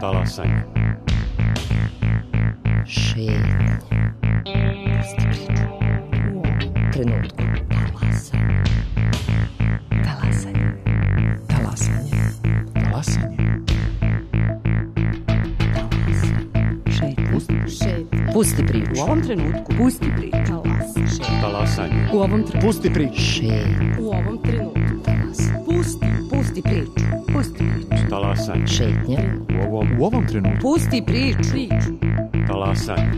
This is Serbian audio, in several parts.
Talasanje. Šetnje. Pusti priču. U ovom trenutku. Talasanje. Talasanje. Talasanje. Talasanje. Pusti priču. U ovom trenutku. Pusti priču. Talasanje. U ovom trenutku. Pusti priču. U ovom trenutku. Pusti priču. Pusti priču. Talasanje. Šetnja. U ovom trenutku. Pusti priču. Talasanje.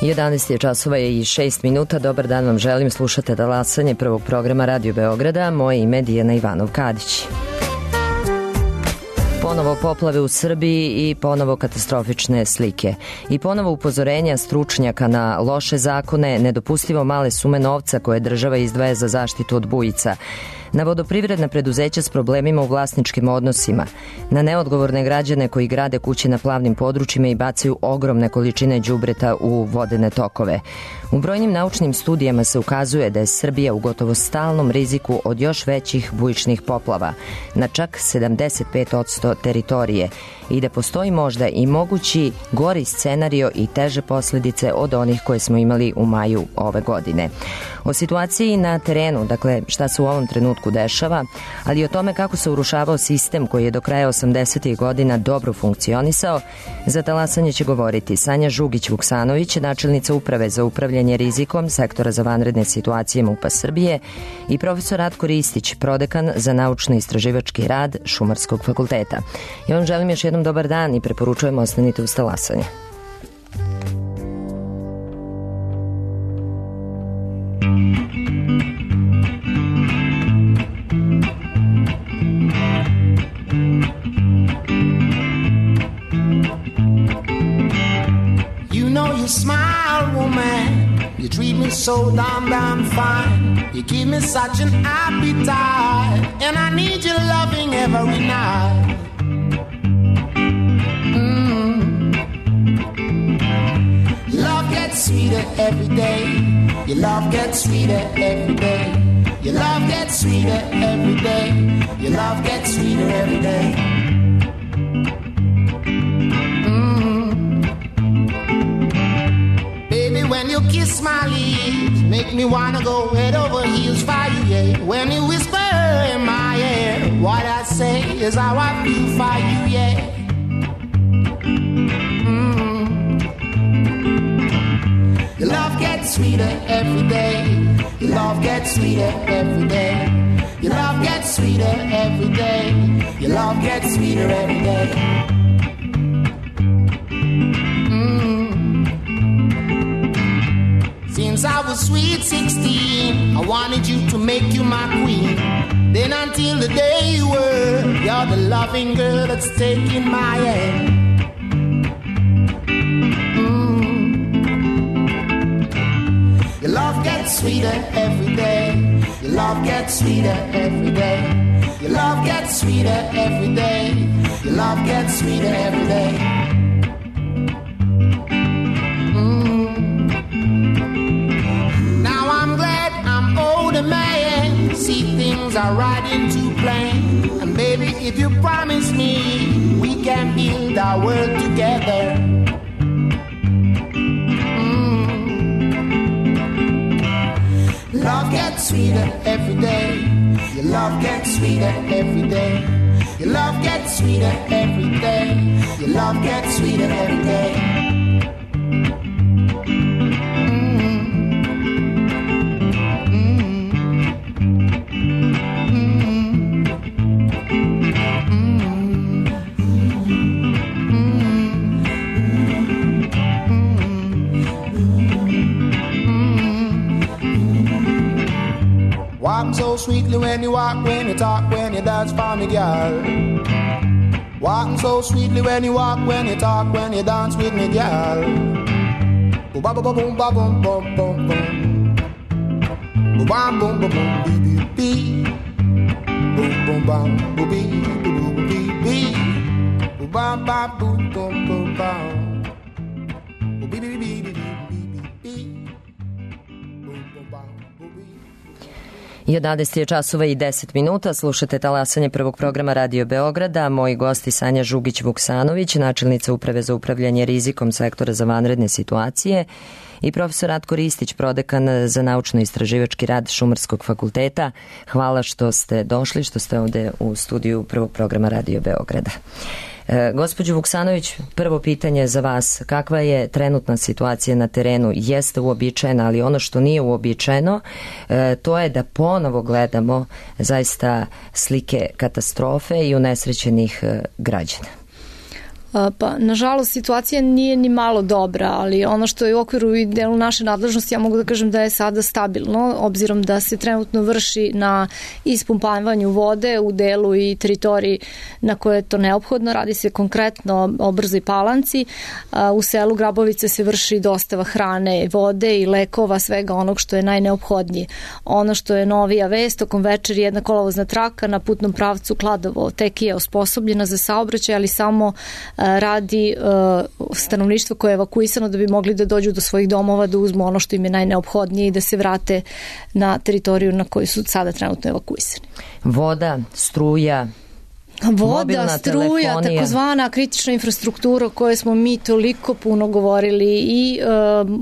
Jedanaest je časova i 6 minuta. Dobar dan vam želim. Slušate Talasanje prvog programa Radio Beograda. Moje ime je Dijana Ivanov-Kadić. Ponovo poplave u Srbiji i ponovo katastrofične slike. I ponovo upozorenja stručnjaka na loše zakone, nedopustivo male sume novca koje država izdvaja za zaštitu od bujica, na vodoprivredna preduzeća s problemima u vlasničkim odnosima, na neodgovorne građane koji grade kuće na plavnim područjima i bacaju ogromne količine đubreta u vodene tokove. U brojnim naučnim studijama se ukazuje da je Srbija u gotovo stalnom riziku od još većih bujičnih poplava, na čak 75% teritorije, i da postoji možda i mogući gori scenario i teže posljedice od onih koje smo imali u maju ove godine. O situaciji na terenu, dakle šta se u ovom trenutku dešava, ali i o tome kako se urušavao sistem koji je do kraja 80. godina dobro funkcionisao, za Talasanje će govoriti Sanja Žugić-Vuksanović, načelnica Uprave za upravljanje rizikom Sektora za vanredne situacije MUP-a Srbije, i profesor Ratko Ristić, prodekan za naučno-istraživački rad Šumarskog fakulteta. Ja vam želim još jednom dobar dan i preporučujem ostanite uz Talasanje. You smile, woman, you treat me so damn fine. You give me such an appetite, and I need your loving every night. Love gets sweeter every day. Your love gets sweeter every day. Your love gets sweeter every day. Your love gets sweeter every day. When you kiss my lips, make me wanna go head over heels for you, yeah. When you whisper in my ear, what I say is how I feel for you, yeah. Your love gets sweeter every day. Your love gets sweeter every day. Your love gets sweeter every day. Your love gets sweeter every day. Since I was sweet 16, I wanted you to make you my queen. Then until the day you were, you're the loving girl that's taking my hand. Your love gets sweeter every day. Your love gets sweeter every day. Your love gets sweeter every day. Your love gets sweeter every day. Man, see things are right into plan. And baby, if you promise me, we can build our world together. Love gets sweeter every day. Your love gets sweeter every day. Your love gets sweeter every day. Your love gets sweeter every day. sweetly when you walk, when you talk, when you dance for me, girl. Walking so sweetly when you walk, when you talk, when you dance with me, girl. Boom, ba, ba, ba, boom, ba, boom, boom, boom, boom. Boom, bam, boom, boom, boom, bee, bee, bee. Boom, boom, bam, boom, bee, boom, bee, bee. Boom, bam, bam, boom, boom, boom, bam. Boom, bee, bee, bee, bee, bee, bee, bee. Boom, boom, bam, boom, bee. 11 je časova i 10 minuta, slušate talasanje prvog programa Radio Beograda. Moji gosti Sanja Žugić-Vuksanović, načelnica Uprave za upravljanje rizikom sektora za vanredne situacije, i profesor Ratko Ristić, prodekan za naučno-istraživački rad Šumarskog fakulteta. Hvala što ste došli, što ste ovde u studiju prvog programa Radio Beograda. Gospođo Vuksanović, prvo pitanje za vas. Kakva je trenutna situacija na terenu? Jeste uobičajena, ali ono što nije uobičajeno, to je da ponovo gledamo zaista slike katastrofe i unesrećenih građana. Pa, nažalost, situacija nije ni malo dobra, ali ono što je u okviru i delu naše nadležnosti, ja mogu da kažem da je sada stabilno, obzirom da se trenutno vrši na ispumpavanju vode u delu i teritoriji na koje je to neophodno. Radi se konkretno o Brzoj Palanci. U selu Grabovice se vrši dostava hrane, vode i lekova, svega onog što je najneophodnije. Ono što je novija vest, tokom večeri jedna kolovozna traka na putnom pravcu Kladovo-Tekije osposobljena za saobraćaj, ali samo radi stanovništvo koje je evakuisano da bi mogli da dođu do svojih domova, da uzmu ono što im je najneophodnije i da se vrate na teritoriju na koju su sada trenutno evakuisani. Voda, struja, voda, struja, takozvana kritična infrastruktura o kojoj smo mi toliko puno govorili i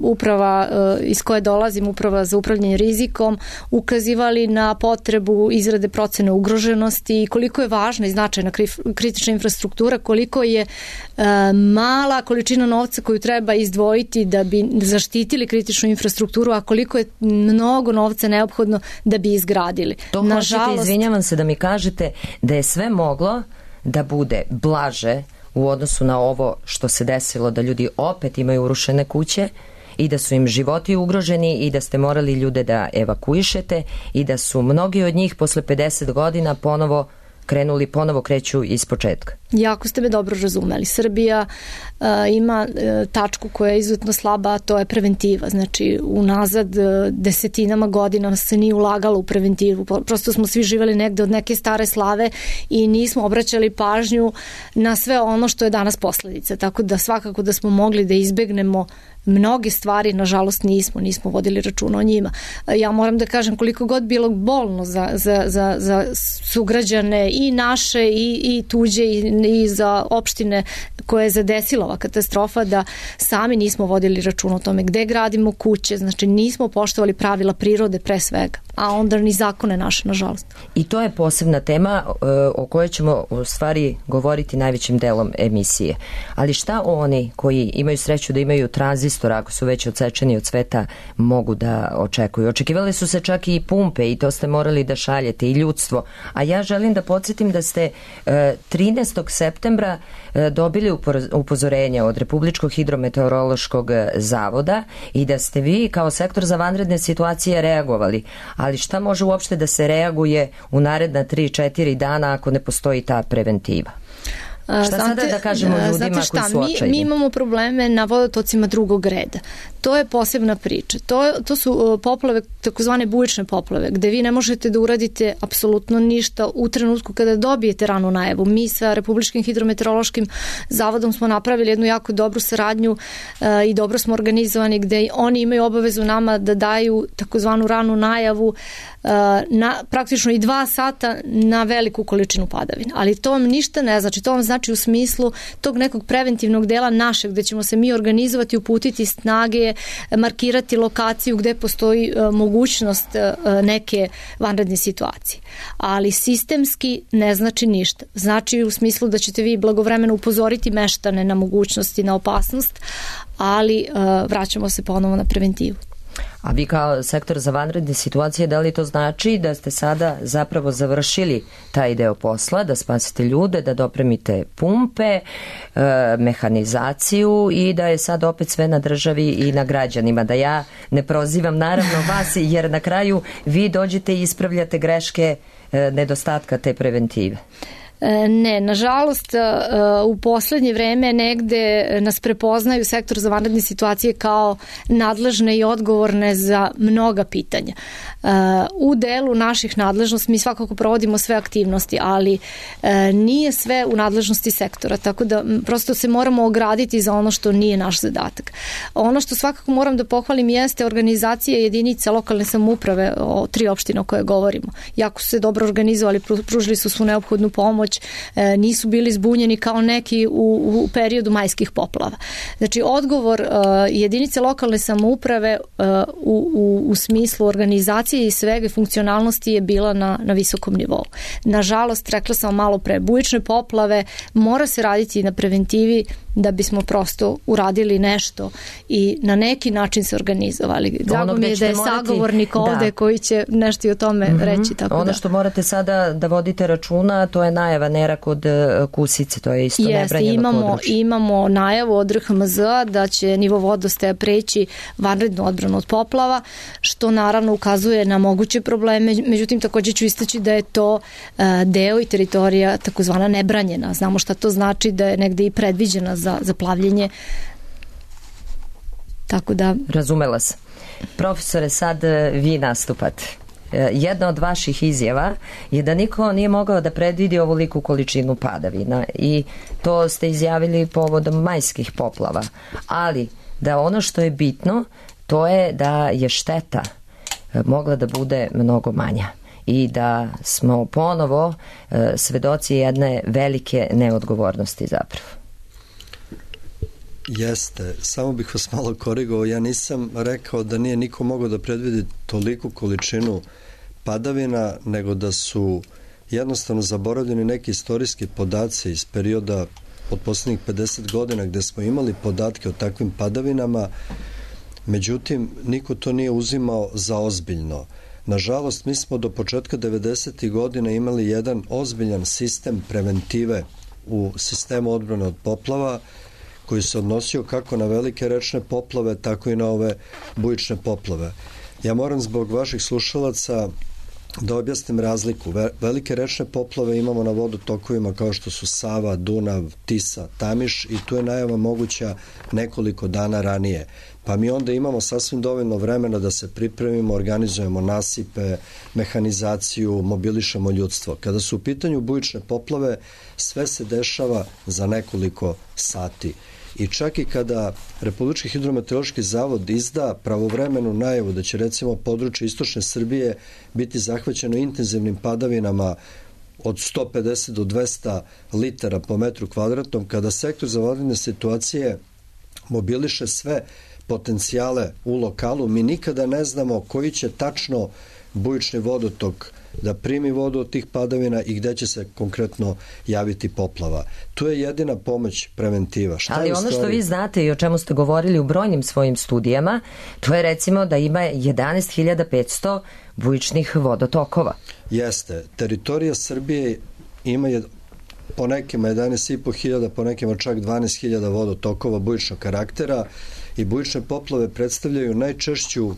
uprava iz koje dolazim, Uprava za upravljanje rizikom, ukazivali na potrebu izrade procene ugroženosti i koliko je važna i značajna kritična infrastruktura, koliko je mala količina novca koju treba izdvojiti da bi zaštitili kritičnu infrastrukturu, a koliko je mnogo novca neophodno da bi izgradili. To hoćete, izvinjavam se, da mi kažete da je sve moglo da bude blaže u odnosu na ovo što se desilo, da ljudi opet imaju urušene kuće i da su im životi ugroženi i da ste morali ljude da evakuišete i da su mnogi od njih posle 50 godina ponovo kreću iz početka. Jako ste me dobro razumeli. Srbija ima tačku koja je izuzetno slaba, a to je preventiva. Znači, unazad desetinama godina se nije ulagalo u preventivu. Prosto smo svi živeli negde od neke stare slave i nismo obraćali pažnju na sve ono što je danas posledica. Tako da svakako da smo mogli da izbegnemo mnoge stvari, nažalost nismo vodili računa o njima. Ja moram da kažem, koliko god bilo bolno za sugrađane i naše i tuđe i za opštine koje je zadesila ova katastrofa, da sami nismo vodili računa o tome gde gradimo kuće, znači nismo poštovali pravila prirode pre svega, a onda ni zakone naše, nažalost. I to je posebna tema o kojoj ćemo u stvari govoriti najvećim delom emisije. Ali šta oni koji imaju sreću da imaju tranzistor, ako su već odsečeni od sveta, mogu da očekuju? Očekivali su se čak i pumpe i to ste morali da šaljete, i ljudstvo. A ja želim da podsjetim da ste 13. septembra dobili upozorenje od Republičkog hidrometeorološkog zavoda i da ste vi kao sektor za vanredne situacije reagovali. Ali šta može uopšte da se reaguje u naredna 3-4 dana ako ne postoji ta preventiva? Šta sada da kažemo ljudima koji su očajni? Mi imamo probleme na vodotocima drugog reda. To je posebna priča. To su poplave, takozvane bujične poplave, gde vi ne možete da uradite apsolutno ništa u trenutku kada dobijete ranu najavu. Mi sa Republičkim hidrometeorološkim zavodom smo napravili jednu jako dobru saradnju i dobro smo organizovani, gde oni imaju obavezu nama da daju takozvanu ranu najavu na praktično i 2 sata na veliku količinu padavina. Ali to vam ništa ne znači. To vam znači u smislu tog nekog preventivnog dela našeg, gde ćemo se mi organizovati, uputiti snage, markirati lokaciju gde postoji mogućnost neke vanredne situacije. Ali sistemski ne znači ništa. Znači u smislu da ćete vi blagovremeno upozoriti meštane na mogućnosti, na opasnost, ali vraćamo se ponovo na preventivu. A vi kao sektor za vanredne situacije, da li to znači da ste sada zapravo završili taj deo posla, da spasite ljude, da dopremite pumpe, mehanizaciju i da je sad opet sve na državi i na građanima? Da ja ne prozivam naravno vas, jer na kraju vi dođete i ispravljate greške nedostatka te preventive. Ne, nažalost, u poslednje vreme negde nas prepoznaju sektor za vanredne situacije kao nadležne i odgovorne za mnoga pitanja. U delu naših nadležnosti mi svakako provodimo sve aktivnosti, ali nije sve u nadležnosti sektora, tako da prosto se moramo ograditi za ono što nije naš zadatak. Ono što svakako moram da pohvalim jeste organizacija jedinica lokalne samouprave, o 3 opštine o koje govorimo. Jako su se dobro organizovali, pružili su svu neophodnu pomoć, nisu bili zbunjeni kao neki u periodu majskih poplava. Znači, odgovor jedinice lokalne samouprave u smislu organizacije i svega funkcionalnosti je bila na visokom nivou. Nažalost, rekla sam malo pre, bujične poplave, mora se raditi na preventivi da bismo prosto uradili nešto i na neki način se organizovali. Drago mi je da je sagovornik ovde koji će nešto i o tome reći. Tako ono što morate sada da vodite računa, to je najava nera kod Kusice, to je isto nebranjeno područje. Imamo najavu od RHMZ-a da će nivo vodostaja preći vanrednu odbranu od poplava, što naravno ukazuje na moguće probleme, međutim takođe ću istaći da je to deo i teritorija takozvana nebranjena. Znamo šta to znači, da je negde i predviđena za plavljenje. Tako da... Razumela se. Profesore, sad vi nastupate. Jedna od vaših izjava je da niko nije mogao da predvidi ovoliku količinu padavina i to ste izjavili povodom majskih poplava. Ali da ono što je bitno, to je da je šteta mogla da bude mnogo manja i da smo ponovo svedoci jedne velike neodgovornosti zapravo. Jeste, samo bih vas malo korigovao, ja nisam rekao da nije niko mogao da predvidi toliku količinu padavina, nego da su jednostavno zaboravljeni neki istorijski podaci iz perioda od poslednjih 50 godina gde smo imali podatke o takvim padavinama, međutim niko to nije uzimao za ozbiljno. Nažalost, mi smo do početka 90. godina imali jedan ozbiljan sistem preventive u sistemu odbrane od poplava, koji se odnosio kako na velike rečne poplave, tako i na ove bujične poplave. Ja moram zbog vaših slušalaca da objasnim razliku. Velike rečne poplave imamo na vodotokovima kao što su Sava, Dunav, Tisa, Tamiš i tu je najava moguća nekoliko dana ranije. Pa mi onda imamo sasvim dovoljno vremena da se pripremimo, organizujemo nasipe, mehanizaciju, mobilišemo ljudstvo. Kada su u pitanju bujične poplave, sve se dešava za nekoliko sati. I čak i kada Republički hidrometeorološki zavod izda pravovremenu najavu da će recimo područje istočne Srbije biti zahvaćeno intenzivnim padavinama od 150 do 200 litara po metru kvadratnom, kada sektor za vanredne situacije mobiliše sve potencijale u lokalu, mi nikada ne znamo koji će tačno bujični vodotok da primi vodu od tih padavina i gde će se konkretno javiti poplava. Tu je jedina pomoć preventiva. Ali ono što vi znate i o čemu ste govorili u brojnim svojim studijama, to je recimo da ima 11.500 bujičnih vodotokova. Jeste. Teritorija Srbije ima po nekima 11.500, po nekima čak 12.000 vodotokova bujičnog karaktera i bujične poplave predstavljaju najčešću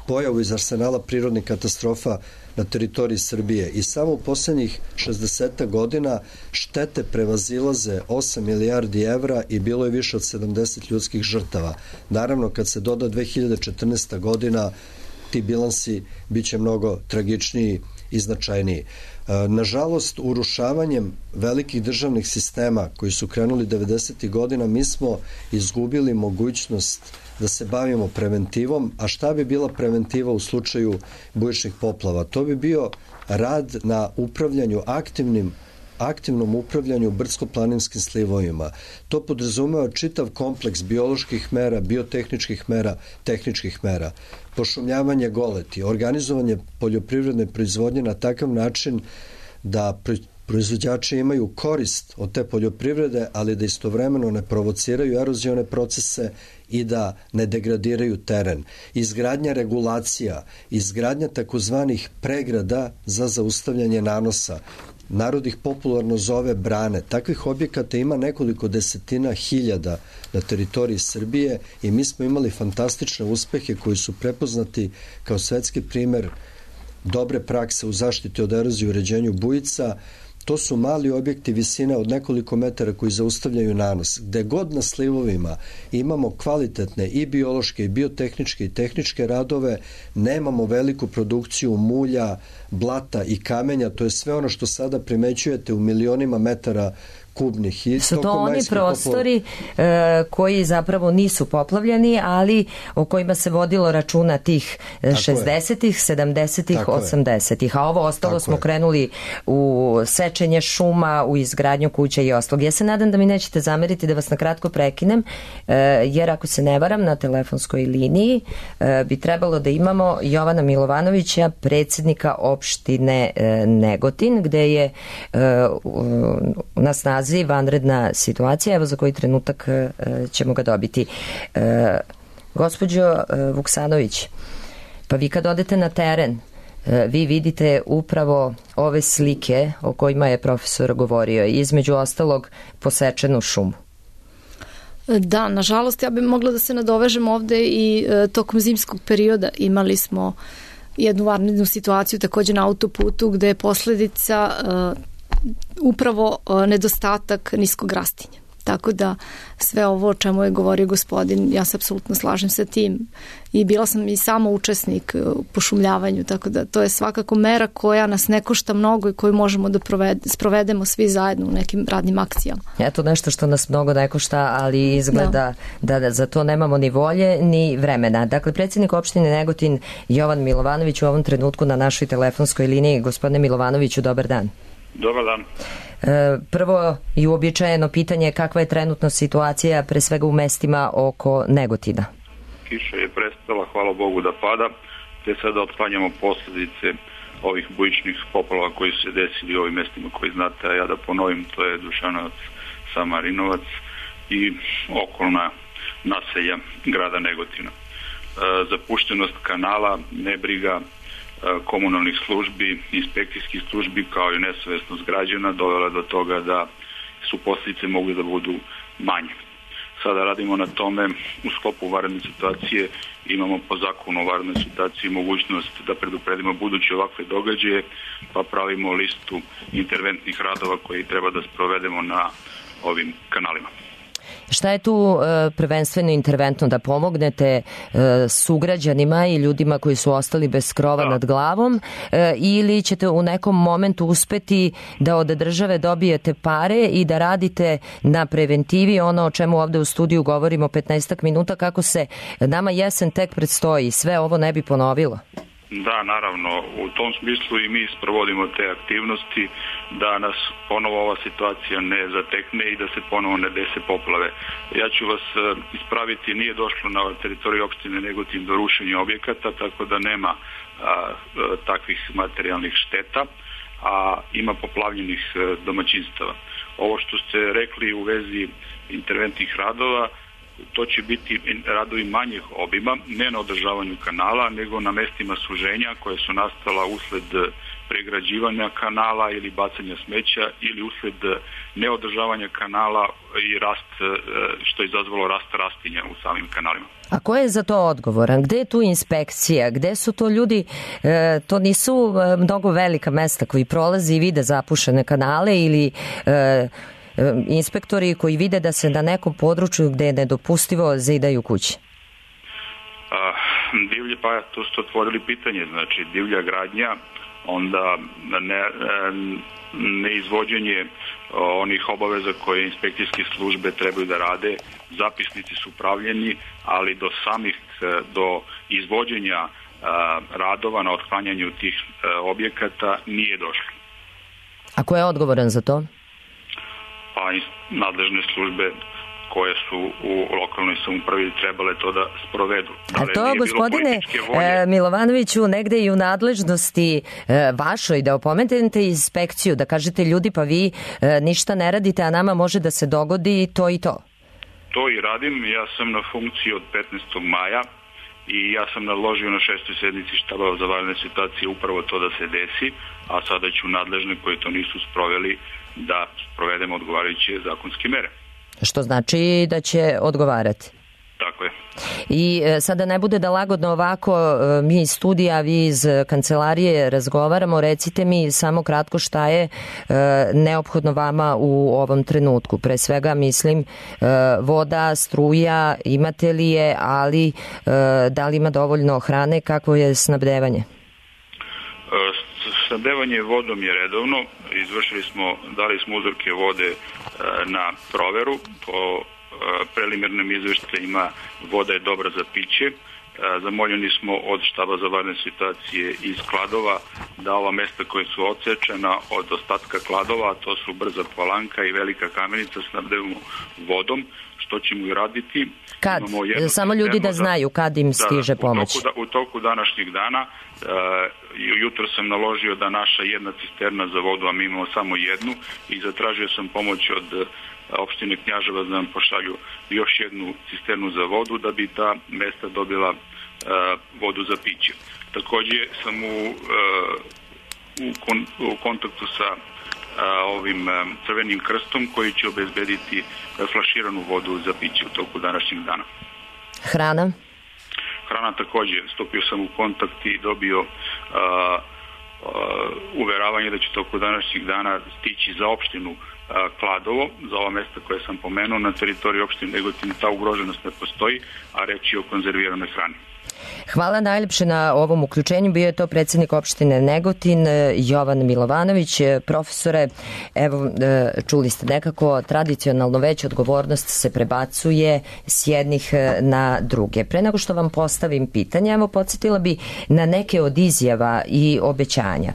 pojavu iz arsenala prirodnih katastrofa na teritoriji Srbije i samo u poslednjih 60 godina štete prevazilaze 8 milijardi evra i bilo je više od 70 ljudskih žrtava. Naravno, kad se doda 2014. godina, ti bilansi biće mnogo tragičniji i značajniji. Nažalost, urušavanjem velikih državnih sistema koji su krenuli 90. godina, mi smo izgubili mogućnost da se bavimo preventivom, a šta bi bila preventiva u slučaju bujičnih poplava? To bi bio rad na upravljanju aktivnom upravljanju brdsko-planinskim slivovima. To podrazumeva čitav kompleks bioloških mera, biotehničkih mera, tehničkih mera, pošumljavanje goleti, organizovanje poljoprivredne proizvodnje na takav način da proizvođači imaju korist od te poljoprivrede, ali da istovremeno ne provociraju erozione procese i da ne degradiraju teren. Izgradnja regulacija, izgradnja takozvanih pregrada za zaustavljanje nanosa, narod ih popularno zove brane. Takvih objekata ima nekoliko desetina hiljada na teritoriji Srbije i mi smo imali fantastične uspehe koji su prepoznati kao svetski primer dobre prakse u zaštiti od erozije i uređenju bujica. To su mali objekti visine od nekoliko metara koji zaustavljaju nanos. Gde god na slivovima imamo kvalitetne i biološke i biotehničke i tehničke radove, nemamo veliku produkciju mulja, blata i kamenja, to je sve ono što sada primećujete u milionima metara kubnih. Su to oni prostori koji zapravo nisu poplavljeni, ali o kojima se vodilo računa tih 60-ih, 70-ih, 80-ih, a ovo ostalo smo krenuli u sečenje šuma, u izgradnju kuća i ostalog. Ja se nadam da mi nećete zameriti da vas na kratko prekinem, jer ako se ne varam, na telefonskoj liniji bi trebalo da imamo Jovana Milovanovića, predsjednika opštine Negotin, gde je na snazi vanredna situacija, evo za koji trenutak ćemo ga dobiti. Gospođo Vuksanović, pa vi kad odete na teren, vi vidite upravo ove slike o kojima je profesor govorio, između ostalog posečenu šumu. Da, nažalost, ja bih mogla da se nadovežem ovde i tokom zimskog perioda imali smo jednu vanrednu situaciju takođe na autoputu gde je posledica upravo nedostatak niskog rastinja. Tako da sve ovo o čemu je govorio gospodin, ja se apsolutno slažem sa tim i bila sam i sama učesnik u pošumljavanju, tako da to je svakako mera koja nas ne košta mnogo i koju možemo da sprovedemo svi zajedno u nekim radnim akcijama. Eto nešto što nas mnogo ne košta, ali izgleda da za to nemamo ni volje ni vremena. Dakle, predsjednik opštine Negotin Jovan Milovanović u ovom trenutku na našoj telefonskoj liniji. Gospodine Milovanoviću, dobar dan. Dobar dan. Prvo i uobičajeno pitanje, kakva je trenutno situacija pre svega u mestima oko Negotina? Kiša je prestala, hvala Bogu da pada, te sada otklanjamo posljedice ovih bujičnih poplava koji su se desili u ovim mestima koji znate, a ja da ponovim, to je Dušanovac, Samarinovac i okolna naselja grada Negotina. Zapuštenost kanala, nebriga komunalnih službi, inspekcijskih službi kao i nesavesnost građana dovela do toga da su posljedice mogli da budu manje. Sada radimo na tome u sklopu vanredne situacije, imamo po zakonu o vanrednoj situaciji mogućnost da predupredimo buduće ovakve događaje, pa pravimo listu interventnih radova koji treba da sprovedemo na ovim kanalima. Šta je tu prvenstveno interventno, da pomognete sugrađanima i ljudima koji su ostali bez krova nad glavom, ili ćete u nekom momentu uspeti da od države dobijete pare i da radite na preventivi, ono o čemu ovde u studiju govorimo 15 minuta, kako se nama jesen tek predstoji, sve ovo ne bi ponovilo? Da, naravno, u tom smislu i mi sprovodimo te aktivnosti da nas ponovo ova situacija ne zatekne i da se ponovo ne dese poplave. Ja ću vas ispraviti, nije došlo na teritoriju opštine Negotin do rušenja objekata, tako da nema takvih materijalnih šteta, a ima poplavljenih domaćinstava. Ovo što ste rekli u vezi interventnih radova, to će biti radovi manjih obima, ne na održavanju kanala, nego na mestima suženja koje su nastala usled pregrađivanja kanala ili bacanja smeća ili usled neodržavanja kanala i rast, što je izazvalo rast rastinja u samim kanalima. A ko je za to odgovoran? Gde je tu inspekcija? Gde su to ljudi? To nisu mnogo velika mesta koji prolazi i vide zapušene kanale ili inspektori koji vide da se na nekom području gde je nedopustivo zidaju kuće? Pa tu ste otvorili pitanje, znači divlja gradnja, onda neizvođenje onih obaveza koje inspekcijske službe trebaju da rade, zapisnici su pravljeni, ali do izvođenja radova na otklanjanju tih objekata nije došlo. A ko je odgovoran za to? Pa nadležne službe, koje su u lokalnoj samoupravi trebale to da sprovedu. A to, gospodine Milovanoviću, negde i u nadležnosti vašoj, da opomenete inspekciju, da kažete ljudi pa vi ništa ne radite, a nama može da se dogodi to i to. To i radim. Ja sam na funkciji od 15. maja i ja sam naložio na 6. sednici štaba za vanredne situacije upravo to da se desi, a sada ću nadležne koji to nisu sproveli da sprovedemo odgovarajuće zakonske mere. Što znači da će odgovarati. Tako je. I sada ne bude da lagodno ovako mi iz studija, vi iz kancelarije razgovaramo, recite mi samo kratko šta je neophodno vama u ovom trenutku. Pre svega mislim voda, struja, imate li je, ali da li ima dovoljno hrane, kakvo je snabdevanje? Snabdevanje vodom je redovno, dali smo uzorke vode na proveru, po preliminarnim izveštajima voda je dobra za piće. Zamoljeni smo od štaba za vanredne situacije iz Kladova da ova mesta koje su odsečena od ostatka Kladova, to su Brza Palanka i Velika Kamenica, snabdevamo vodom, što ćemo i raditi. Kad? Samo ljudi da znaju kad im stiže pomoć. U toku današnjeg dana, jutro sam naložio da naša jedna cisterna za vodu, a mi imamo samo jednu, i zatražio sam pomoć od opštine Knjaževac da nam pošalju još jednu cisternu za vodu da bi ta mesta dobila vodu za piće. Takođe sam u kontaktu sa ovim Crvenim krstom koji će obezbediti flaširanu vodu za piće u toku današnjeg dana. Hrana? Hrana takođe. Stupio sam u kontakt i dobio uveravanje da će toku današnjeg dana stići za opštinu Kladovo, za ova mesta koje sam pomenuo. Na teritoriji opštine Negotin ta ugroženost ne postoji, a reč je o konzerviranoj hrani. Hvala najlepše na ovom uključenju. Bio je to predsjednik opštine Negotin, Jovan Milovanović. Profesore, evo, čuli ste nekako, tradicionalno već odgovornost se prebacuje s jednih na druge. Pre nego što vam postavim pitanje, evo, podsjetila bi na neke od izjava i obećanja.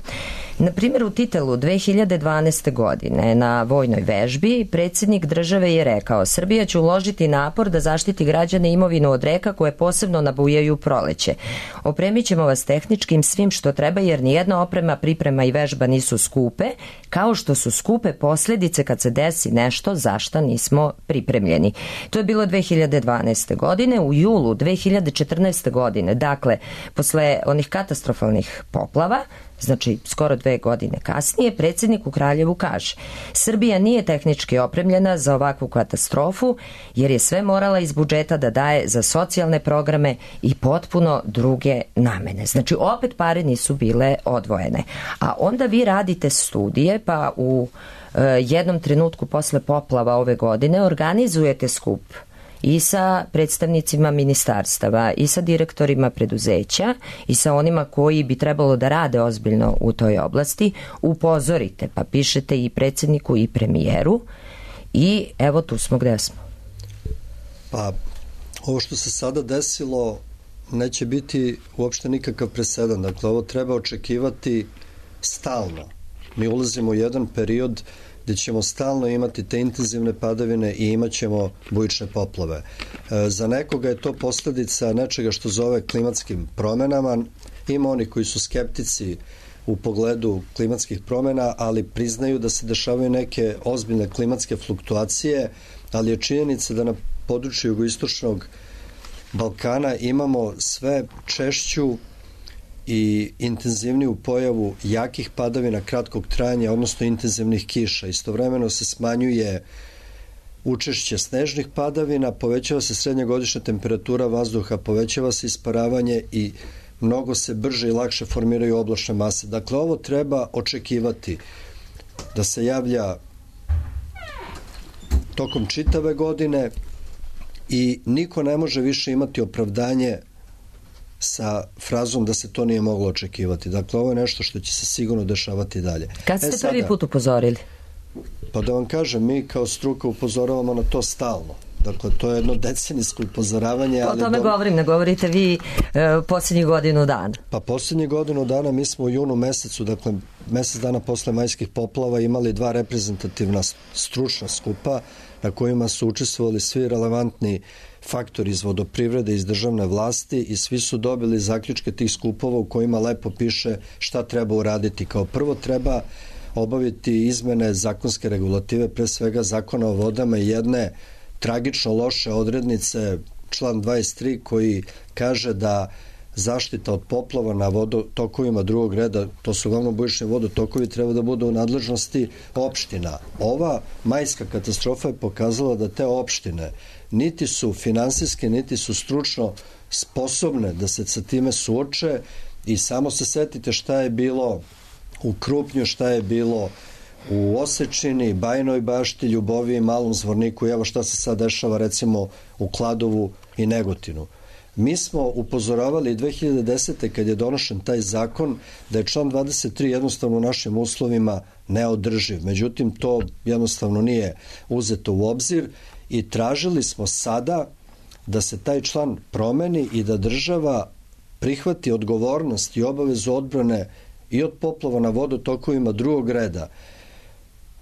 Na primjer, u Titelu 2012. godine na vojnoj vežbi predsjednik države je rekao: Srbija će uložiti napor da zaštiti građane imovinu od reka koje posebno nabujaju proleće. Opremit ćemo vas tehničkim svim što treba, jer nijedna oprema, priprema i vežba nisu skupe, kao što su skupe posljedice kad se desi nešto za šta nismo pripremljeni. To je bilo 2012. godine. U julu 2014. godine, dakle, posle onih katastrofalnih poplava, znači skoro 2 godine kasnije, predsjednik u Kraljevu kaže: Srbija nije tehnički opremljena za ovakvu katastrofu jer je sve morala iz budžeta da daje za socijalne programe i potpuno druge namene. Znači opet pare nisu bile odvojene. A onda vi radite studije, pa u jednom trenutku posle poplava ove godine organizujete skup i sa predstavnicima ministarstava, i sa direktorima preduzeća, i sa onima koji bi trebalo da rade ozbiljno u toj oblasti. Upozorite, pa pišete i predsjedniku i premijeru, i evo tu smo gde smo. Pa, ovo što se sada desilo neće biti uopšte nikakav presedan. Dakle, ovo treba očekivati stalno. Mi ulazimo u jedan period gdje ćemo stalno imati te intenzivne padavine i imat ćemo bujične poplave. Za nekoga je to posljedica nečega što zove klimatskim promenama. Ima oni koji su skeptici u pogledu klimatskih promjena, ali priznaju da se dešavaju neke ozbiljne klimatske fluktuacije, ali je činjenica da na području jugoistočnog Balkana imamo sve češću i intenzivniju pojavu jakih padavina kratkog trajanja, odnosno intenzivnih kiša. Istovremeno se smanjuje učešće snežnih padavina, povećava se srednja godišnja temperatura vazduha, povećava se isparavanje i mnogo se brže i lakše formiraju oblačne mase. Dakle, ovo treba očekivati da se javlja tokom čitave godine i niko ne može više imati opravdanje sa frazom da se to nije moglo očekivati. Dakle, ovo je nešto što će se sigurno dešavati dalje. Kad ste prvi put upozorili? Pa da vam kažem, mi kao struka upozoravamo na to stalno. Dakle, to je jedno decenijsko upozoravanje. O tome govorim, ne govorite vi posljednjih godinu dana. Pa posljednjih godinu dana mi smo u junu mesecu, dakle, mesec dana posle majskih poplava imali 2 reprezentativna stručna skupa na kojima su učestvovali svi relevantni faktori iz vodoprivrede, iz državne vlasti i svi su dobili zaključke tih skupova u kojima lepo piše šta treba uraditi. Kao prvo treba obaviti izmene zakonske regulative, pre svega zakona o vodama i jedne tragično loše odrednice, član 23 koji kaže da zaštita od poplava na vodotokovima drugog reda, to su uglavnom bujični vodotokovi, treba da budu u nadležnosti opština. Ova majska katastrofa je pokazala da te opštine niti su finansijske, niti su stručno sposobne da se sa time suoče i samo se setite šta je bilo u Krupnju, šta je bilo u Osečini, Bajinoj Bašti, Ljuboviji, Malom Zvorniku i evo šta se sad dešava recimo u Kladovu i Negotinu. Mi smo upozoravali 2010. kad je donošen taj zakon da je član 23 jednostavno u našim uslovima neodrživ. Međutim, to jednostavno nije uzeto u obzir i tražili smo sada da se taj član promeni i da država prihvati odgovornost i obavezu odbrane i od poplava na vodotokovima drugog reda.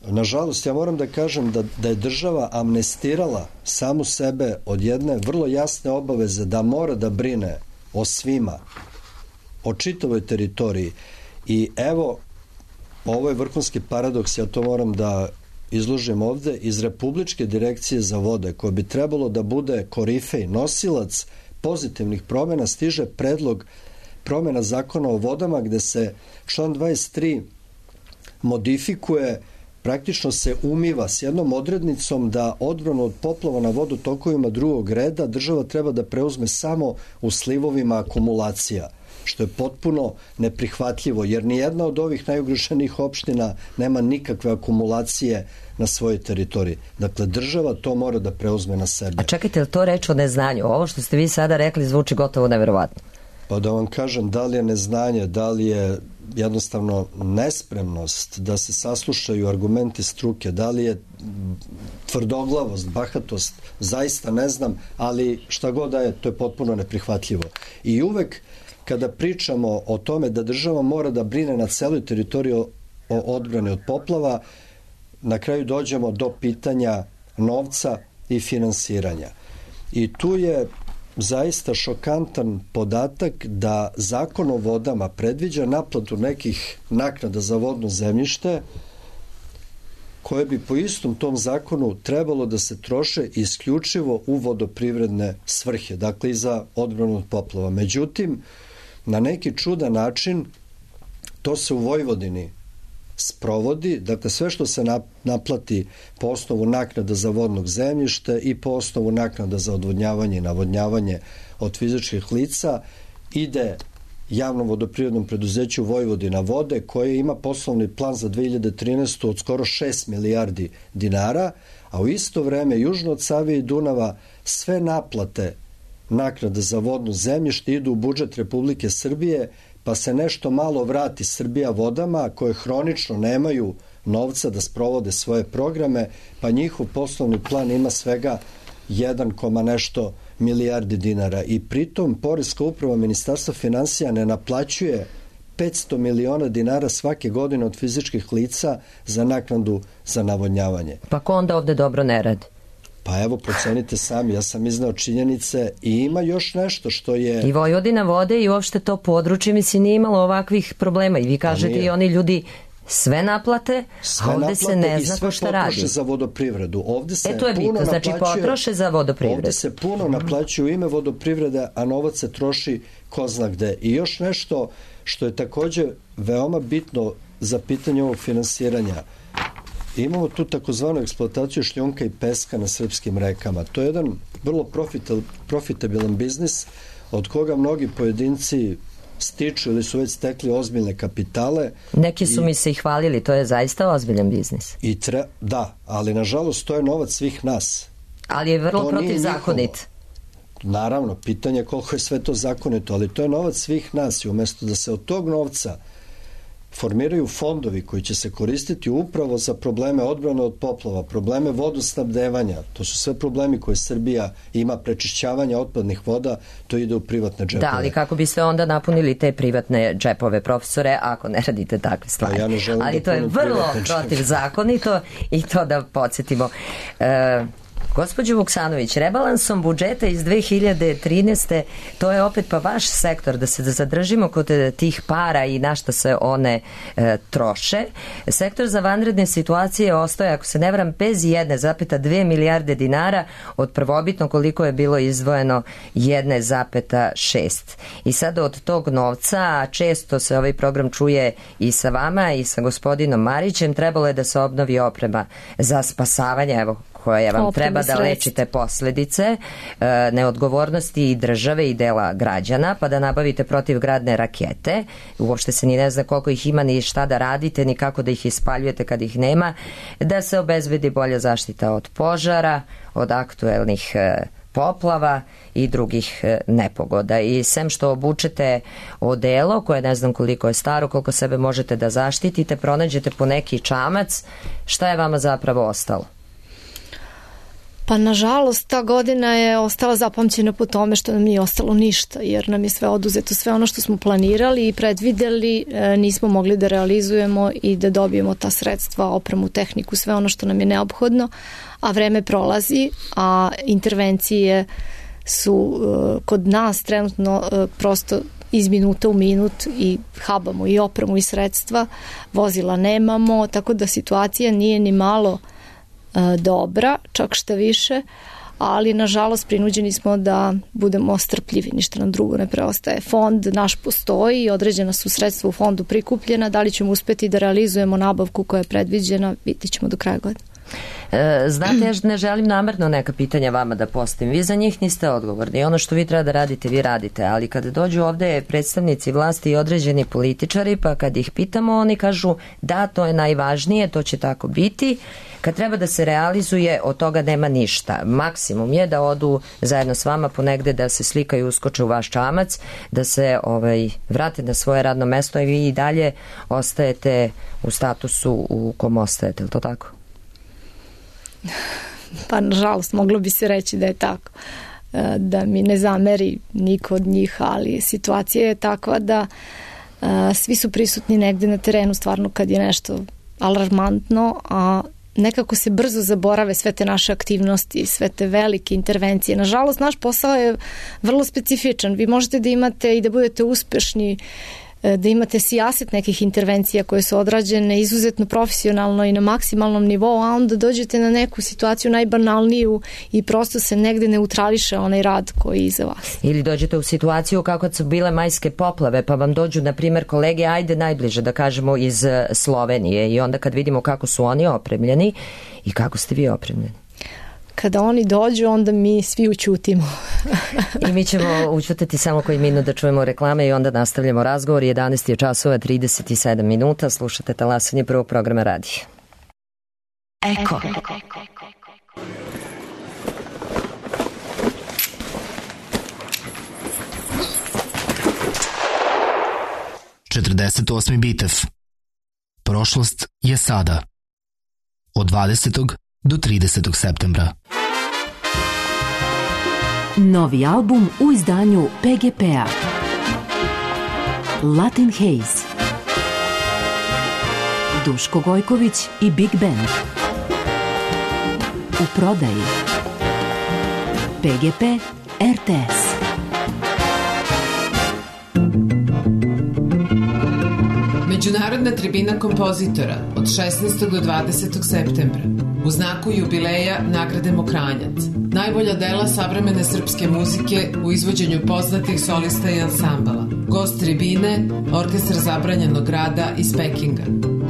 Nažalost, ja moram da kažem da je država amnestirala samu sebe od jedne vrlo jasne obaveze da mora da brine o svima, o čitavoj teritoriji. I evo, ovo je vrhunski paradoks, ja to moram da izložim ovde, iz Republičke direkcije za vode, koja bi trebalo da bude korifej, nosilac pozitivnih promjena, stiže predlog promjena zakona o vodama gde se član 23 modifikuje, praktično se umiva s jednom odrednicom da odbranu od poplava na vodotokovima drugog reda država treba da preuzme samo u slivovima akumulacija, što je potpuno neprihvatljivo, jer nijedna od ovih najugroženijih opština nema nikakve akumulacije na svojoj teritoriji. Dakle, država to mora da preuzme na sebe. A čekajte, je li to reč o neznanju? Ovo što ste vi sada rekli zvuči gotovo neverovatno. Pa da vam kažem, da li je neznanje, da li je jednostavno nespremnost da se saslušaju argumenti struke, da li je tvrdoglavost, bahatost, zaista ne znam, ali šta god da je, to je potpuno neprihvatljivo. I uvek kada pričamo o tome da država mora da brine na celoj teritoriji o odbrani od poplava, na kraju dođemo do pitanja novca i finansiranja. I tu je zaista šokantan podatak da Zakon o vodama predviđa naplatu nekih naknada za vodno zemljište koje bi po istom tom zakonu trebalo da se troše isključivo u vodoprivredne svrhe, dakle i za odbranu od poplava. Međutim, na neki čudan način to se u Vojvodini sprovodi, dakle sve što se naplati po osnovu naknada za vodnog zemljište i po osnovu naknada za odvodnjavanje i navodnjavanje od fizičkih lica ide javnom vodoprivrednom preduzeću Vojvodina vode koje ima poslovni plan za 2013. od skoro 6 milijardi dinara, a u isto vreme južno od Save i Dunava sve naplate naknada za vodno zemljište idu u budžet Republike Srbije, pa se nešto malo vrati Srbija vodama koje hronično nemaju novca da sprovode svoje programe, pa njihov poslovni plan ima svega 1, nešto milijardi dinara i pritom Poreska uprava Ministarstva finansija ne naplaćuje 500 miliona dinara svake godine od fizičkih lica za naknadu za navodnjavanje. Pa ko onda ovde dobro ne radi? Pa evo, procenite sami, ja sam iznao činjenice i ima još nešto što je... I Vojvodina vode i uopšte to područje, mislim, nije imalo ovakvih problema i vi kažete i oni ljudi sve naplate, a ovde se ne zna ko šta radi. Sve potroše za vodoprivredu. Ovde se to je bitno, znači potroše za vodoprivredu. Ovde se puno naplaćuje u ime vodoprivrede, a novac se troši ko zna gde. I još nešto što je takođe veoma bitno za pitanje ovog finansiranja. Imamo tu takozvanu eksploataciju šljunka i peska na srpskim rekama. To je jedan vrlo profitabilan biznis od koga mnogi pojedinci stiču ili su već stekli ozbiljne kapitale. Neki su mi se i hvalili, to je zaista ozbiljan biznis. Da, ali nažalost to je novac svih nas. Ali je vrlo protivzakonit. Naravno, pitanje je koliko je sve to zakonito, ali to je novac svih nas i umesto da se od tog novca formiraju fondovi koji će se koristiti upravo za probleme odbrane od poplava, probleme vodosnabdevanja, to su sve problemi koje Srbija ima, prečišćavanja otpadnih voda, to ide u privatne džepove. Da, ali kako biste onda napunili te privatne džepove, profesore, ako ne radite takve stvari? Ja ne želim ali da to je vrlo protivzakonito i to da podsjetimo. Gospođo Vuksanović, rebalansom budžeta iz 2013. to je opet pa vaš sektor, da se zadržimo kod tih para i na šta se one troše. Sektor za vanredne situacije ostaje, ako se ne varam, bez 1,2 milijarde dinara od prvobitno koliko je bilo izdvojeno 1,6. I sad od tog novca, a često se ovaj program čuje i sa vama i sa gospodinom Marićem, trebalo je da se obnovi oprema za spasavanje, evo, koja vam treba da lečite posledice neodgovornosti i države i dela građana, pa da nabavite protivgradne rakete. Uopšte se ni ne zna koliko ih ima, ni šta da radite, ni kako da ih ispaljujete kad ih nema, da se obezbedi bolja zaštita od požara, od aktuelnih poplava i drugih nepogoda. I sem što obučete odelo, koje ne znam koliko je staro, koliko sebe možete da zaštitite, pronađete po neki čamac, šta je vama zapravo ostalo? Pa nažalost ta godina je ostala zapamćena po tome što nam nije ostalo ništa, jer nam je sve oduzeto, sve ono što smo planirali i predvideli nismo mogli da realizujemo i da dobijemo ta sredstva, opremu, tehniku, sve ono što nam je neophodno, a vreme prolazi, a intervencije su kod nas trenutno prosto iz minuta u minut i habamo i opremu i sredstva, vozila nemamo, tako da situacija nije ni malo dobra, čak šta više, ali nažalost prinuđeni smo da budemo strpljivi, ništa nam drugo ne preostaje. Fond naš postoji, određena su sredstva u fondu prikupljena, da li ćemo uspeti da realizujemo nabavku koja je predviđena, vidit ćemo do kraja godine. Znate, ja ne želim namerno neka pitanja vama da postavim. Vi za njih niste odgovorni. Ono što vi treba da radite, vi radite. Ali kada dođu ovde predstavnici vlasti i određeni političari, pa kad ih pitamo, oni kažu da, to je najvažnije, to će tako biti. Kad treba da se realizuje, od toga nema ništa. Maksimum je da odu zajedno s vama ponegde, da se slikaju, uskoče u vaš čamac, da se vrate na svoje radno mesto i vi i dalje ostajete u statusu u kom ostajete. Je li to tako? Pa nažalost moglo bi se reći da je tako, da mi ne zameri niko od njih, ali situacija je takva da svi su prisutni negde na terenu stvarno kad je nešto alarmantno, a nekako se brzo zaborave sve te naše aktivnosti, sve te velike intervencije. Nažalost, naš posao je vrlo specifičan. Vi možete da imate i da budete uspešni, da imate sijaset nekih intervencija koje su odrađene izuzetno profesionalno i na maksimalnom nivou, a onda dođete na neku situaciju najbanalniju i prosto se negde neutrališe onaj rad koji je iza vas. Ili dođete u situaciju kako su bile majske poplave, pa vam dođu, na primjer, kolege, ajde najbliže da kažemo iz Slovenije, i onda kad vidimo kako su oni opremljeni i kako ste vi opremljeni. Kada oni dođu, onda mi svi ućutimo. I mi ćemo ućutati samo koji minut da čujemo reklame i onda nastavljamo razgovor. 11 je časova, 37 minuta. Slušate talasanje prvog programa radija. Eko. 48. bitev. Prošlost je sada. Od 20. do 30. septembra. Novi album u izdanju PGP-a. Latin Haze. Duško Gojković i Big Band. U prodaji. PGP RTS. Međunarodna tribina kompozitora od 16. do 20. septembra u znaku jubileja nagrade Mokranjac. Najbolja dela savremene srpske muzike u izvođenju poznatih solista i ansambala. Gost tribine, Orkestar zabranjenog rada iz Pekinga.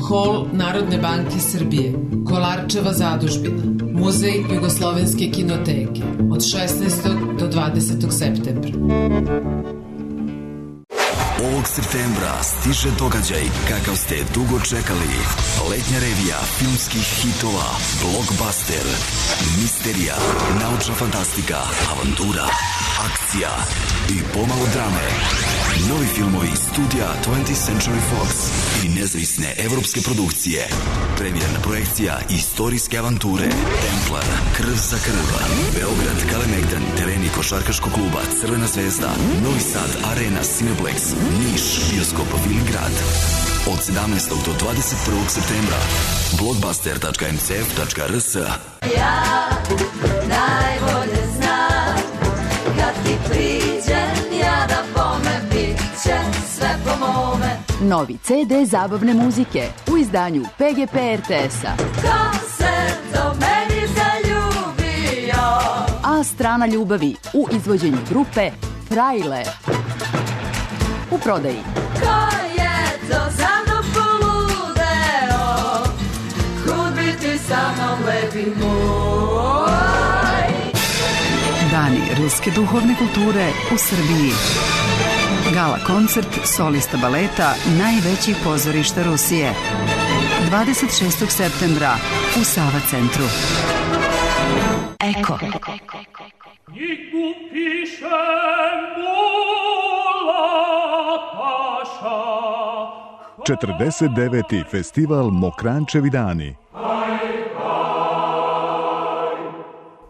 Hol Narodne banke Srbije, Kolarčeva zadužbina, Muzej Jugoslovenske kinoteke od 16. do 20. septembra. Ovog septembra stiže događaj kakav ste dugo čekali. Letnja revija filmskih hitova, blockbuster, misterija, naučna fantastika, avantura, akcija i pomalo drame. Novi filmovi studija 20th Century Fox i nezavisne evropske produkcije. Premijerna projekcija istorijske avanture Templar, Krv za krv, Beograd, Kalemegdan, tereni košarkaškog kluba Crvena zvezda, Novi Sad, Arena, Cineplex, Niš, Bioskop Viligrad. Od 17. do 21. septembra blockbuster.mcf.rs. Ja najbolje znam kad ti priđem ja da bome bit će sve po mome. Novi CD zabavne muzike u izdanju PGP RTS-a. Ko se do meni zaljubio? A strana ljubavi u izvođenju grupe Frajle. U prodaji. Ko je to za mnom poludeo? Kud bi ti sa mnom lepi moj? Dani ruske duhovne kulture u Srbiji. Gala koncert solista baleta najvećih pozorišta Rusije. 26. septembra u Sava centru. Eko. 49. festival Mokrančevi dani.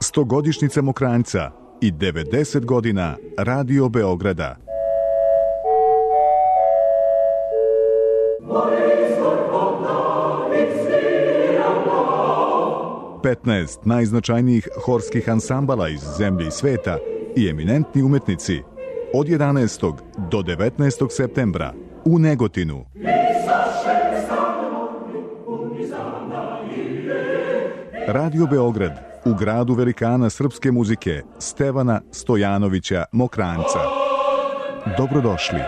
100-godišnjica Mokranjca i 90 godina Radio Beograda. Petnaest najznačajnijih horskih ansambala iz zemlje i sveta i eminentni umetnici od 11. do 19. septembra u Negotinu. Radio Beograd u gradu velikana srpske muzike Stevana Stojanovića Mokranjca. Dobrodošli.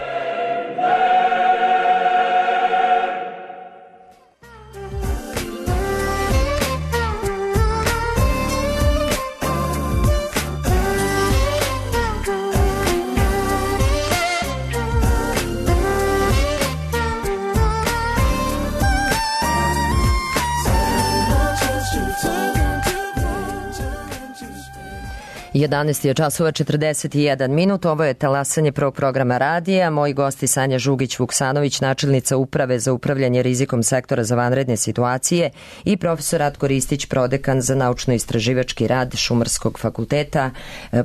Jedanaest je časova 41 minut. Ovo je talasanje prvog programa radija. Moji gosti Sanja Žugić-Vuksanović, načelnica Uprave za upravljanje rizikom sektora za vanredne situacije i profesor Ratko Ristić, prodekan za naučno-istraživački rad Šumarskog fakulteta.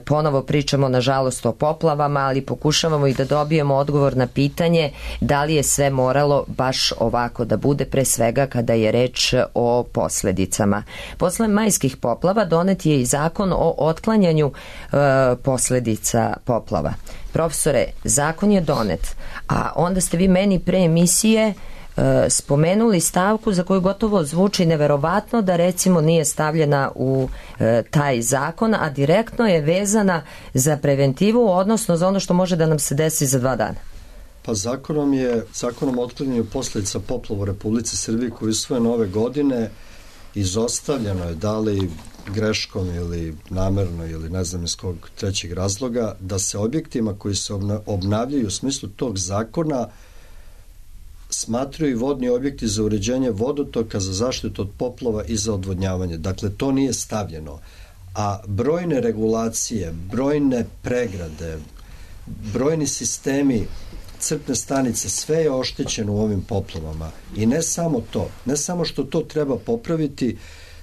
Ponovo pričamo, nažalost, o poplavama, ali pokušavamo i da dobijemo odgovor na pitanje da li je sve moralo baš ovako da bude, pre svega kada je reč o posledicama. Posle majskih poplava donet je i zakon o otklanjanju posledica poplava. Profesore, zakon je donet, a onda ste vi meni pre emisije spomenuli stavku za koju gotovo zvuči neverovatno da recimo nije stavljena u taj zakon, a direktno je vezana za preventivu, odnosno za ono što može da nam se desi za 2 dana. Pa zakonom o otklanjanju posledica poplava u Republici Srbiji koji je usvojen ove godine izostavljeno je, da li greškom ili namerno ili ne znam iz kog trećeg razloga, da se objektima koji se obnavljaju u smislu tog zakona smatraju i vodni objekti za uređenje vodotoka, za zaštitu od poplava i za odvodnjavanje. Dakle, to nije stavljeno. A brojne regulacije, brojne pregrade, brojni sistemi, crpne stanice, sve je oštećeno u ovim poplavama. I ne samo to, ne samo što to treba popraviti,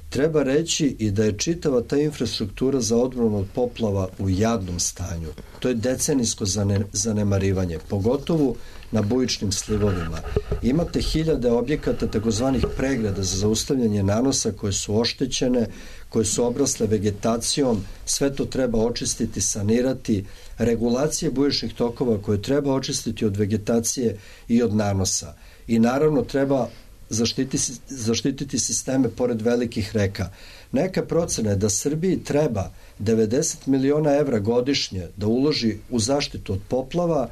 treba reći i da je čitava ta infrastruktura za odbranu od poplava u jadnom stanju. To je decenijsko zanemarivanje, pogotovo na bujičnim slivovima. Imate hiljade objekata takozvanih pregrada za zaustavljanje nanosa koje su oštećene, koje su obrasle vegetacijom, sve to treba očistiti, sanirati, regulacije bujičnih tokova koje treba očistiti od vegetacije i od nanosa. I naravno treba zaštititi sisteme pored velikih reka. Neka procena je da Srbiji treba 90 miliona evra godišnje da uloži u zaštitu od poplava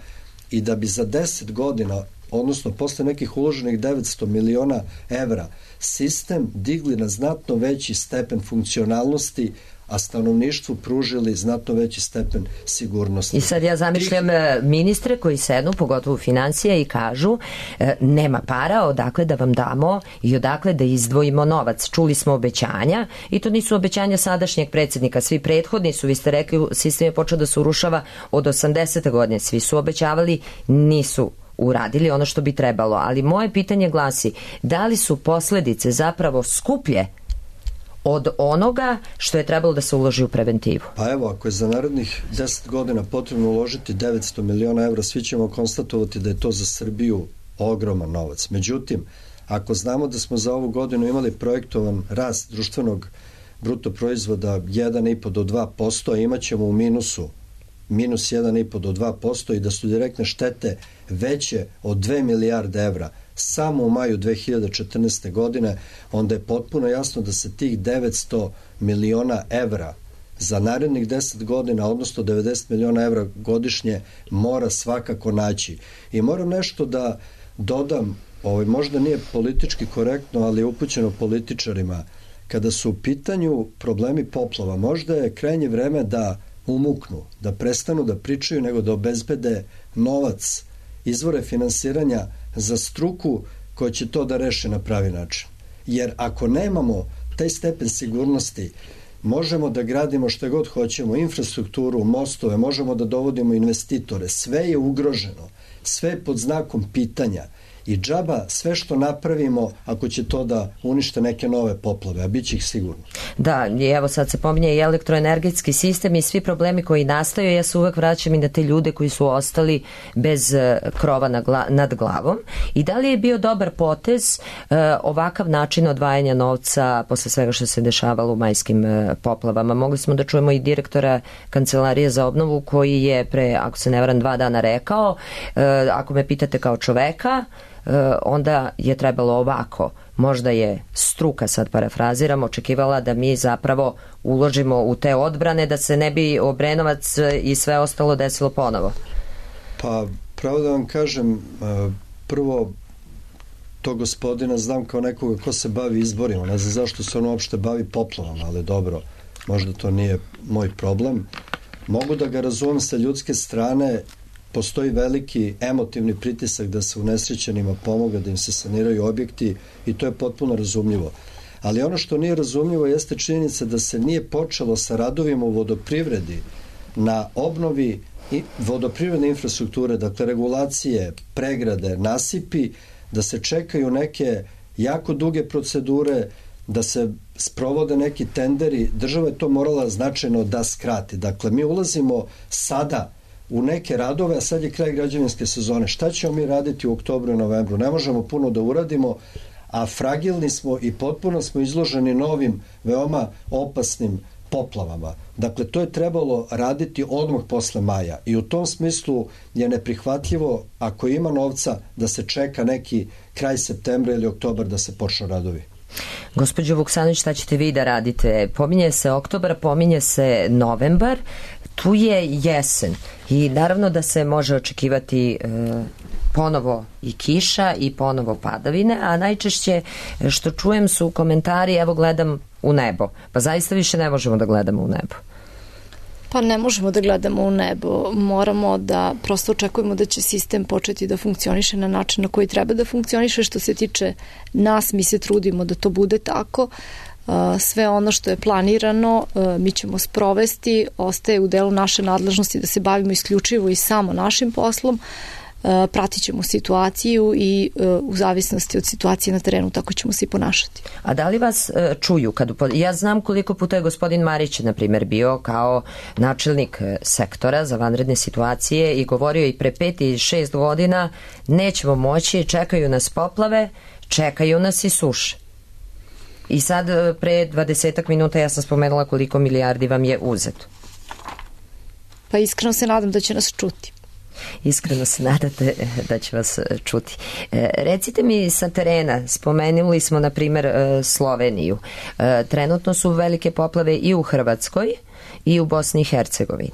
i da bi za 10 godina odnosno posle nekih uloženih 900 miliona evra, sistem digli na znatno veći stepen funkcionalnosti, a stanovništvu pružili znatno veći stepen sigurnosti. I sad ja zamišljam ministre koji sednu, pogotovo financija, i kažu nema para, odakle da vam damo i odakle da izdvojimo novac. Čuli smo obećanja i to nisu obećanja sadašnjeg predsjednika. Svi prethodni su, vi ste rekli, sistem je počeo da se urušava od 80. godine. Svi su obećavali, nisu uradili ono što bi trebalo. Ali moje pitanje glasi, da li su posledice zapravo skuplje od onoga što je trebalo da se uloži u preventivu? Pa evo, ako je za narednih 10 godina potrebno uložiti 900 miliona evra, svi ćemo konstatovati da je to za Srbiju ogroman novac. Međutim, ako znamo da smo za ovu godinu imali projektovan rast društvenog bruto proizvoda 1,5 do 2%, a imat ćemo u minusu minus 1,5 do 2% i da su direktne štete veće od 2 milijarde evra samo u maju 2014. godine, onda je potpuno jasno da se tih 900 miliona evra za narednih 10 godina, odnosno 90 miliona evra godišnje, mora svakako naći. I moram nešto da dodam, možda nije politički korektno, ali je upućeno političarima. Kada su u pitanju problemi poplava, možda je krajnje vreme da umuknu, da prestanu da pričaju, nego da obezbede novac, izvore finansiranja za struku koja će to da reše na pravi način. Jer ako nemamo taj stepen sigurnosti, možemo da gradimo što god hoćemo, infrastrukturu, mostove, možemo da dovodimo investitore, sve je ugroženo, sve je pod znakom pitanja. I džaba sve što napravimo ako će to da unište neke nove poplave, a bit će ih sigurno. Da, i evo sad se pominje i elektroenergetski sistem i svi problemi koji nastaju. Ja se uvek vraćam i na te ljude koji su ostali bez krova nad glavom. I da li je bio dobar potez ovakav način odvajanja novca posle svega što se dešavalo u majskim poplavama? Mogli smo da čujemo i direktora Kancelarije za obnovu koji je pre, ako se ne varam, 2 dana rekao, ako me pitate kao čoveka, onda je trebalo ovako. Možda je struka, sad parafraziram, očekivala da mi zapravo uložimo u te odbrane da se ne bi Obrenovac i sve ostalo desilo ponovo. Pa, pravo da vam kažem, prvo, to gospodina znam kao nekoga ko se bavi izborima, ne znam zašto se on uopšte bavi poplavama, ali dobro, možda to nije moj problem. Mogu da ga razumem sa ljudske strane, postoji veliki emotivni pritisak da se unesrećenima pomoga, da im se saniraju objekti i to je potpuno razumljivo. Ali ono što nije razumljivo jeste činjenica da se nije počelo sa radovima u vodoprivredi na obnovi vodoprivredne infrastrukture, dakle regulacije, pregrade, nasipi, da se čekaju neke jako duge procedure, da se sprovode neki tenderi. Država je to morala značajno da skrati. Dakle, mi ulazimo sada u neke radove, a sad je kraj građevinske sezone. Šta ćemo mi raditi u oktobru i novembru? Ne možemo puno da uradimo, a fragilni smo i potpuno smo izloženi novim, veoma opasnim poplavama. Dakle, to je trebalo raditi odmah posle maja i u tom smislu je neprihvatljivo, ako ima novca, da se čeka neki kraj septembra ili oktobar da se počnu radovi. Gospođo Vuksanović, šta ćete vi da radite? Pominje se oktobar, pominje se novembar, tu je jesen i naravno da se može očekivati ponovo i kiša i ponovo padavine, a najčešće što čujem su komentari, evo gledam u nebo. Pa zaista više ne možemo da gledamo u nebo. Pa ne možemo da gledamo u nebo, moramo da prosto očekujemo da će sistem početi da funkcioniše na način na koji treba da funkcioniše. Što se tiče nas, mi se trudimo da to bude tako. Sve ono što je planirano mi ćemo sprovesti, ostaje u delu naše nadležnosti da se bavimo isključivo i samo našim poslom. Pratit ćemo situaciju i u zavisnosti od situacije na terenu tako ćemo se i ponašati. A da li vas čuju? Ja znam koliko puta je gospodin Marić, na primjer, bio kao načelnik sektora za vanredne situacije i govorio i pre 5 i 6 godina nećemo moći, čekaju nas poplave, čekaju nas i suše. I sad pre 20 minuta ja sam spomenula koliko milijardi vam je uzeto. Pa iskreno se nadam da će nas čuti. Iskreno se nadate da će vas čuti. Recite mi sa terena, spomenuli smo na primjer Sloveniju. Trenutno su velike poplave i u Hrvatskoj i u Bosni i Hercegovini.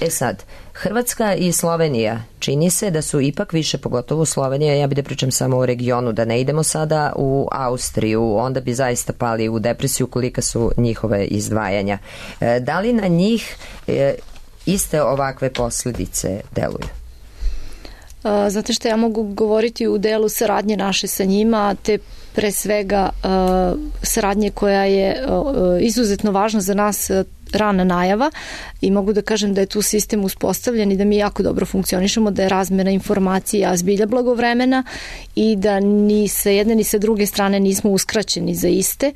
E sad, Hrvatska i Slovenija čini se da su ipak više, pogotovo Slovenija, ja bih da pričam samo o regionu, da ne idemo sada u Austriju, onda bi zaista pali u depresiju kolika su njihove izdvajanja. Da li na njih iste ovakve posljedice deluju? Znate što, ja mogu govoriti u delu saradnje naše sa njima, te pre svega saradnje koja je izuzetno važna za nas, rana najava, i mogu da kažem da je tu sistem uspostavljen i da mi jako dobro funkcionišemo, da je razmena informacija zbilja blagovremena i da ni sa jedne ni sa druge strane nismo uskraćeni za iste,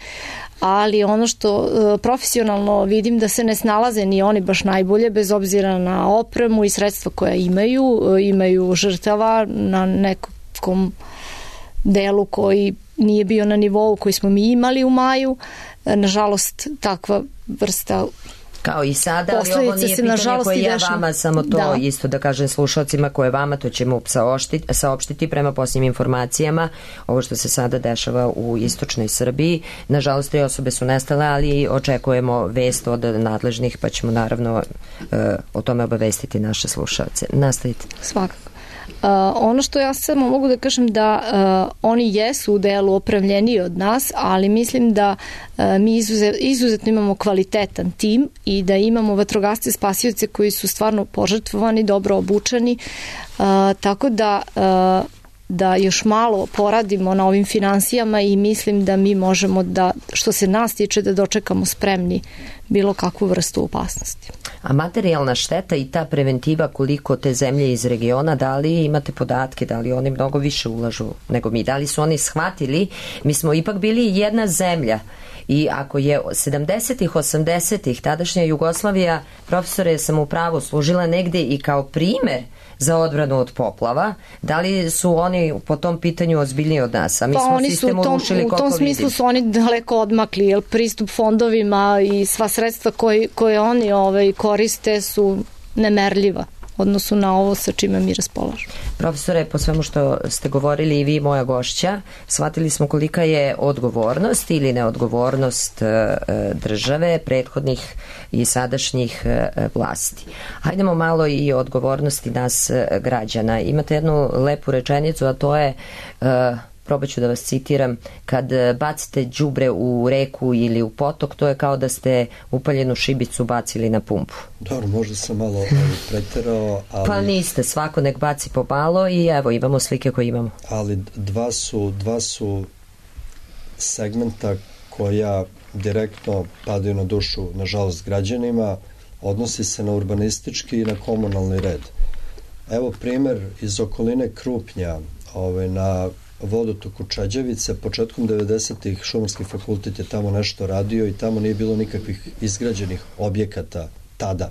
ali ono što profesionalno vidim da se ne snalaze ni oni baš najbolje, bez obzira na opremu i sredstva koja imaju žrtava na nekom delu koji nije bio na nivou koji smo mi imali u maju. Nažalost, takva vrsta kao i sada, ali ovo nije pitanje koje ja vama, samo to isto da kažem slušalcima, koje vama, to ćemo saopštiti prema posljednjim informacijama. Ovo što se sada dešava u istočnoj Srbiji, nažalost 3 osobe su nestale, ali očekujemo vest od nadležnih, pa ćemo naravno o tome obavestiti naše slušalce. Nastavite. Svakako. Ono što ja samo mogu da kažem da oni jesu u delu opremljeniji od nas, ali mislim da mi izuzetno imamo kvalitetan tim i da imamo vatrogasce spasioce koji su stvarno požrtvovani, dobro obučeni, tako da još malo poradimo na ovim finansijama i mislim da mi možemo da, što se nas tiče, da dočekamo spremni bilo kakvu vrstu opasnosti. A materijalna šteta i ta preventiva, koliko te zemlje iz regiona, da li imate podatke, da li oni mnogo više ulažu nego mi, da li su oni shvatili, mi smo ipak bili jedna zemlja i ako je 70-ih, 80-ih tadašnja Jugoslavija, profesore, sam u pravu, služila negde i kao primer za odbranu od poplava, da li su oni po tom pitanju ozbiljniji od nas? A mi smo sistem urušili koliko vidim. U tom smislu su oni daleko odmakli, jer pristup fondovima i sva sredstva koje oni koriste su nemerljiva odnosu na ovo sa čime mi raspolažemo. Profesore, po svemu što ste govorili i vi, moja gošća, shvatili smo kolika je odgovornost ili neodgovornost države, prethodnih i sadašnjih vlasti. Hajdemo malo i o odgovornosti nas građana. Imate jednu lepu rečenicu, a to je, probat ću da vas citiram, kad bacite đubre u reku ili u potok, to je kao da ste upaljenu šibicu bacili na pumpu. Dobro, možda sam malo preterao, ali... Pa niste, svako nek baci po malo i evo, imamo slike koje imamo. Ali dva su segmenta koja direktno padaju na dušu, nažalost, građanima, odnosi se na urbanistički i na komunalni red. Evo primer iz okoline Krupnja, na vodotoku Čađavice, početkom 90-ih Šumarski fakultet je tamo nešto radio i tamo nije bilo nikakvih izgrađenih objekata tada.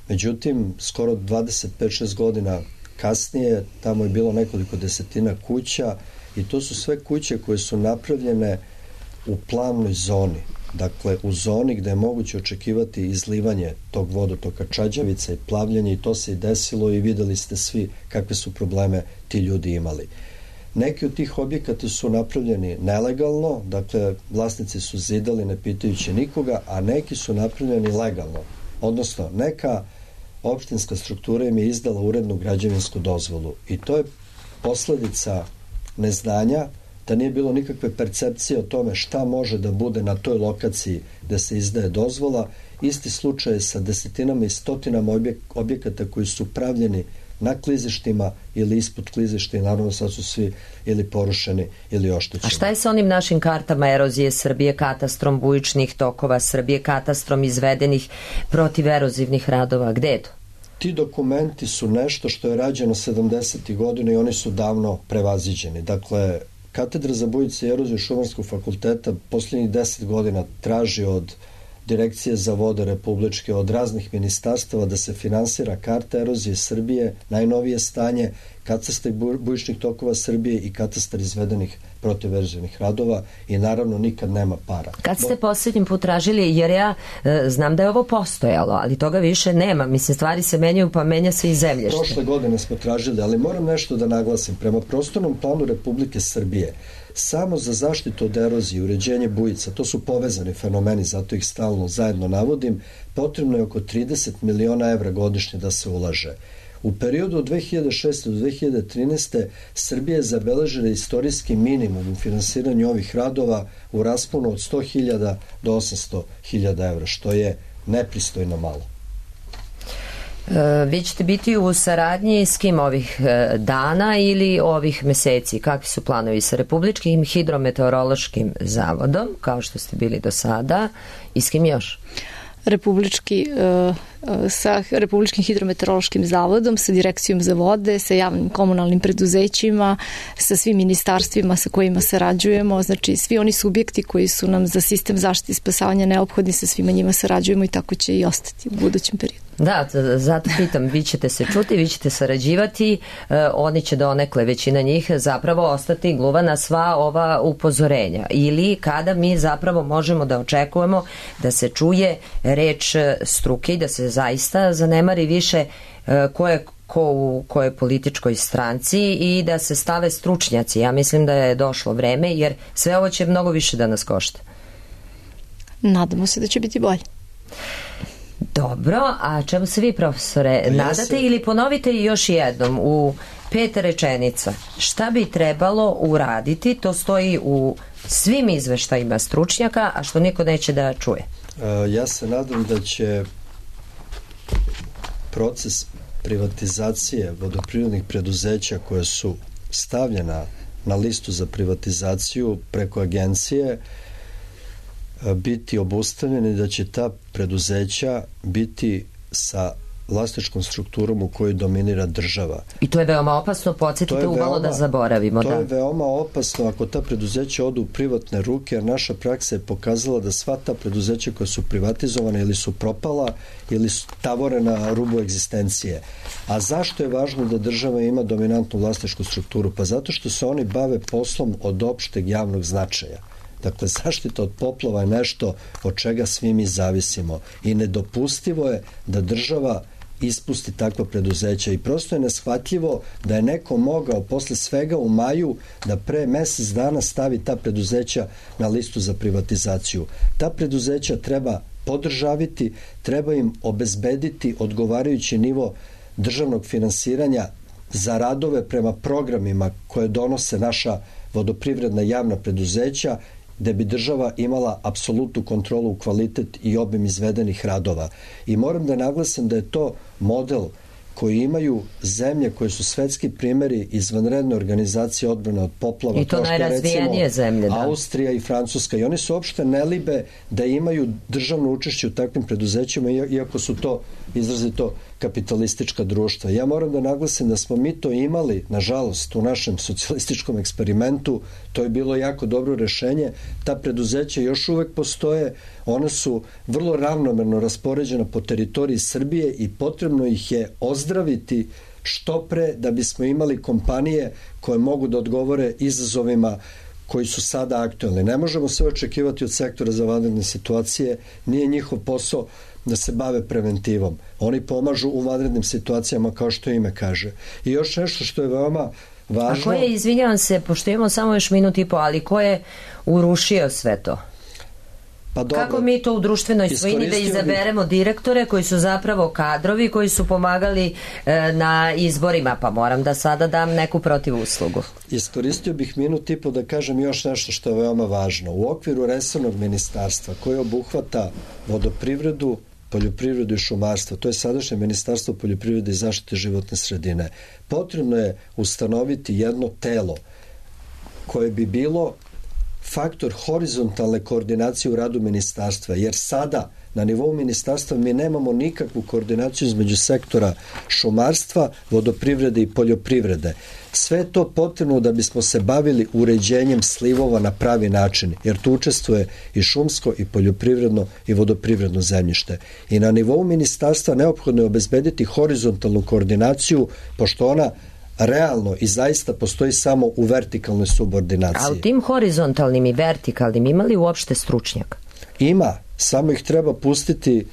Međutim, skoro 25-6 godina kasnije tamo je bilo nekoliko desetina kuća i to su sve kuće koje su napravljene u plavnoj zoni. Dakle, u zoni gde je moguće očekivati izlivanje tog vodotoka Čađavica i plavljanje, i to se i desilo i videli ste svi kakve su probleme ti ljudi imali. Neki od tih objekata su napravljeni nelegalno, dakle vlasnici su zidali ne pitajući nikoga, a neki su napravljeni legalno. Odnosno, neka opštinska struktura im je izdala urednu građevinsku dozvolu i to je posledica neznanja, da nije bilo nikakve percepcije o tome šta može da bude na toj lokaciji gde se izdaje dozvola. Isti slučaj je sa desetinama i stotinama objekata koji su pravljeni na klizištima ili ispod klizišta i naravno sad su svi ili porušeni ili oštećeni. A šta je sa onim našim kartama erozije Srbije, katastrom bujičnih tokova Srbije, katastrom izvedenih protiverozivnih radova? Gde je to? Ti dokumenti su nešto što je rađeno 70. godina i oni su davno prevaziđeni. Dakle, Katedra za bujice i eroziju Šumarskog fakulteta posljednjih 10 godina traži od Direkcije za vode republičke, od raznih ministarstava da se finansira karta erozije Srbije, najnovije stanje, katastar bujičnih tokova Srbije i katastar izvedenih protiverzivnih radova i naravno nikad nema para. Kad ste posljednji put tražili, jer ja znam da je ovo postojalo, ali toga više nema, mislim stvari se menjaju pa menja se i zemljište. Prošle godine smo tražili, ali moram nešto da naglasim, prema prostornom planu Republike Srbije samo za zaštitu od erozije, uređenje bujica, to su povezani fenomeni, zato ih stalno zajedno navodim, potrebno je oko 30 miliona evra godišnje da se ulaže. U periodu od 2006. do 2013. Srbija je zabeležila istorijski minimum u finansiranju ovih radova u rasponu od 100.000 do 800.000 evra, što je nepristojno malo. Vi ćete biti u saradnji s kim ovih dana ili ovih meseci? Kakvi su planovi sa Republičkim hidrometeorološkim zavodom, kao što ste bili do sada, i s kim još? Sa Republičkim hidrometeorološkim zavodom, sa Direkcijom za vode, sa javnim komunalnim preduzećima, sa svim ministarstvima sa kojima sarađujemo, znači svi oni subjekti koji su nam za sistem zaštite i spasavanja neophodni, sa svima njima sarađujemo i tako će i ostati u budućem periodu. Da, zato pitam, vi ćete se čuti, vi ćete sarađivati, oni će donekle, većina njih, zapravo ostati gluva na sva ova upozorenja. Ili kada mi zapravo možemo da očekujemo da se čuje reč struke i da se zaista zanemari više ko u kojoj političkoj stranci i da se stave stručnjaci. Ja mislim da je došlo vreme, jer sve ovo će mnogo više da nas košta. Nadamo se da će biti bolje. Dobro, a čemu se vi, profesore, nadate ili ponovite još jednom u 5 rečenica šta bi trebalo uraditi, to stoji u svim izveštajima stručnjaka, a što niko neće da čuje? Ja se nadam da će proces privatizacije vodoprivrednih preduzeća koje su stavljena na listu za privatizaciju preko agencije biti obustavljeni, da će ta preduzeća biti sa vlasničkom strukturom u kojoj dominira država. I to je veoma opasno, podsjetite uvalo da zaboravimo. To je veoma opasno ako ta preduzeća odu u privatne ruke, jer naša praksa je pokazala da sva ta preduzeća koja su privatizovane ili su propala ili su tavore na rubu egzistencije. A zašto je važno da država ima dominantnu vlasničku strukturu? Pa zato što se oni bave poslom od opšteg javnog značaja. Dakle, zaštita od poplava je nešto od čega svi mi zavisimo i nedopustivo je da država ispusti takva preduzeća i prosto je neshvatljivo da je neko mogao posle svega u maju da pre mesec dana stavi ta preduzeća na listu za privatizaciju. Ta preduzeća treba podržaviti, treba im obezbediti odgovarajući nivo državnog finansiranja za radove prema programima koje donose naša vodoprivredna javna preduzeća, gde bi država imala apsolutnu kontrolu u kvalitet i obim izvedenih radova. I moram da naglasim da je to model koji imaju zemlje koje su svetski primeri izvanredne organizacije odbrane od poplava. I to najrazvijenije zemlje, da. Austrija i Francuska. I oni se uopšte ne libe da imaju državno učešće u takvim preduzećima, iako su to izrazito kapitalistička društva. Ja moram da naglasim da smo mi to imali, nažalost, u našem socijalističkom eksperimentu. To je bilo jako dobro rešenje. Ta preduzeća još uvek postoje. One su vrlo ravnomerno raspoređena po teritoriji Srbije i potrebno ih je ozdraviti što pre da bismo imali kompanije koje mogu da odgovore izazovima koji su sada aktualni. Ne možemo sve očekivati od sektora za vanredne situacije, nije njihov posao da se bave preventivom. Oni pomažu u vanrednim situacijama, kao što ime kaže. I još nešto što je veoma važno... A ko je, izvinjavam se, pošto imamo samo još minut i po, ali ko je urušio sve to? Pa dobro, kako mi to u društvenoj svojini da izaberemo direktore koji su zapravo kadrovi, koji su pomagali na izborima, pa moram da sada dam neku protivuslugu. Iskoristio bih minut i po da kažem još nešto što je veoma važno. U okviru resornog ministarstva koje obuhvata vodoprivredu, poljoprivredu i šumarstvo, to je sadašnje Ministarstvo poljoprivrede i zaštite životne sredine, potrebno je ustanoviti jedno telo koje bi bilo faktor horizontalne koordinacije u radu ministarstva, jer sada na nivou ministarstva mi nemamo nikakvu koordinaciju između sektora šumarstva, vodoprivrede i poljoprivrede. Sve je to potrebno da bismo se bavili uređenjem slivova na pravi način, jer tu učestvuje i šumsko, i poljoprivredno, i vodoprivredno zemljište. I na nivou ministarstva neophodno je obezbediti horizontalnu koordinaciju, pošto ona realno i zaista postoji samo u vertikalnoj subordinaciji. A u tim horizontalnim i vertikalnim ima li uopšte stručnjaka? Ima, samo ih treba pustiti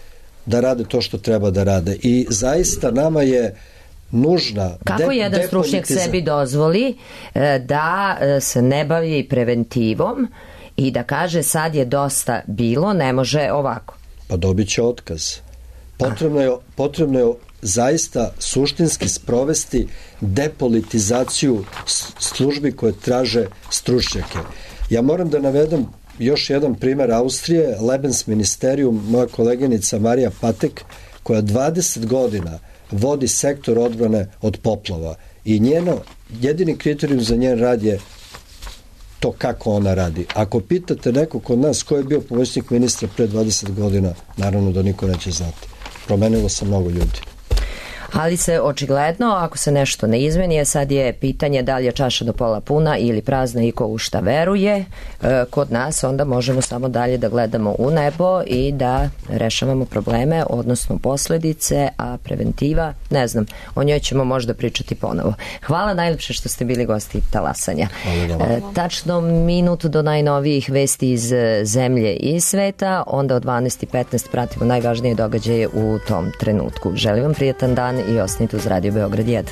da rade to što treba da rade. I zaista nama je nužna kako jedan stručnjak sebi dozvoli da se ne bavi preventivom i da kaže sad je dosta bilo, ne može ovako? Pa dobit će otkaz. Potrebno je zaista suštinski sprovesti depolitizaciju službi koje traže stručnjake. Ja moram da navedem još jedan primer Austrije, Lebensministerium, moja koleginica Marija Patek, koja 20 godina vodi sektor odbrane od poplava i jedini kriterijum za njen rad je to kako ona radi. Ako pitate nekog od nas ko je bio pomoćnik ministra pre 20 godina, naravno da niko neće znati. Promenilo se mnogo ljudi. Ali se očigledno, ako se nešto ne izmeni, sad je pitanje da li je čaša do pola puna ili prazna i ko u šta veruje. Kod nas onda možemo samo dalje da gledamo u nebo i da rešavamo probleme, odnosno posledice, a preventiva, ne znam, o njoj ćemo možda pričati ponovo. Hvala najlepše što ste bili gosti Talasanja. Tačno minut do najnovijih vesti iz zemlje i sveta, onda od 12:15 pratimo najvažnije događaje u tom trenutku. Želim vam prijatan dan i ostanite uz Radio Beograd 1.